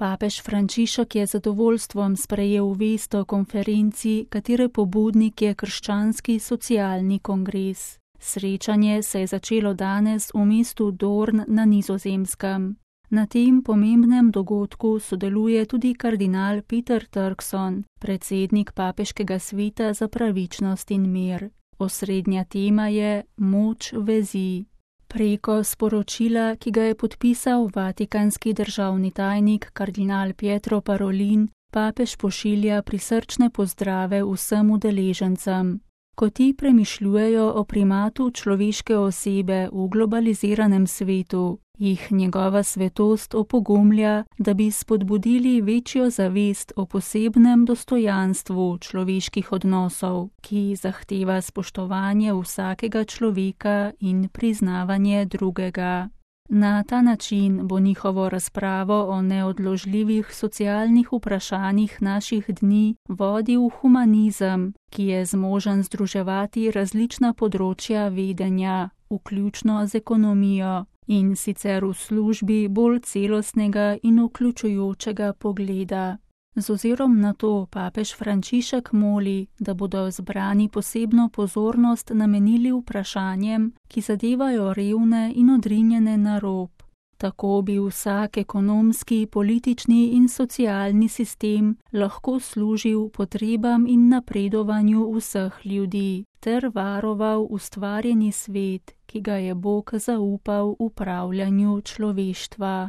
Papež Frančišek je z zadovoljstvom sprejel vest o konferenci, katere pobudnik je Krščanski socialni kongres. Srečanje se je začelo danes v mestu Doorn na Nizozemskem. Na tem pomembnem dogodku sodeluje tudi kardinal Peter Turkson, predsednik Papeškega sveta za pravičnost in mir. Osrednja tema je moč vezi. Preko sporočila, ki ga je podpisal vatikanski državni tajnik kardinal Pietro Parolin, papež pošilja prisrčne pozdrave vsem udeležencem. Ko ti premišljujejo o primatu človeške osebe v globaliziranem svetu, jih njegova svetost opogumlja, da bi spodbudili večjo zavest o posebnem dostojanstvu človeških odnosov, ki zahteva spoštovanje vsakega človeka in priznavanje drugega. Na ta način bo njihovo razpravo o neodložljivih socialnih vprašanjih naših dni vodil humanizem, ki je zmožen združevati različna področja vedenja, vključno z ekonomijo, in sicer v službi bolj celostnega in vključujočega pogleda. Z ozirom na to papež Frančišek moli, da bodo zbrani posebno pozornost namenili vprašanjem, ki zadevajo revne in odrinjene na rob. Tako bi vsak ekonomski, politični in socialni sistem lahko služil potrebam in napredovanju vseh ljudi, ter varoval ustvarjeni svet, ki ga je Bog zaupal upravljanju človeštva.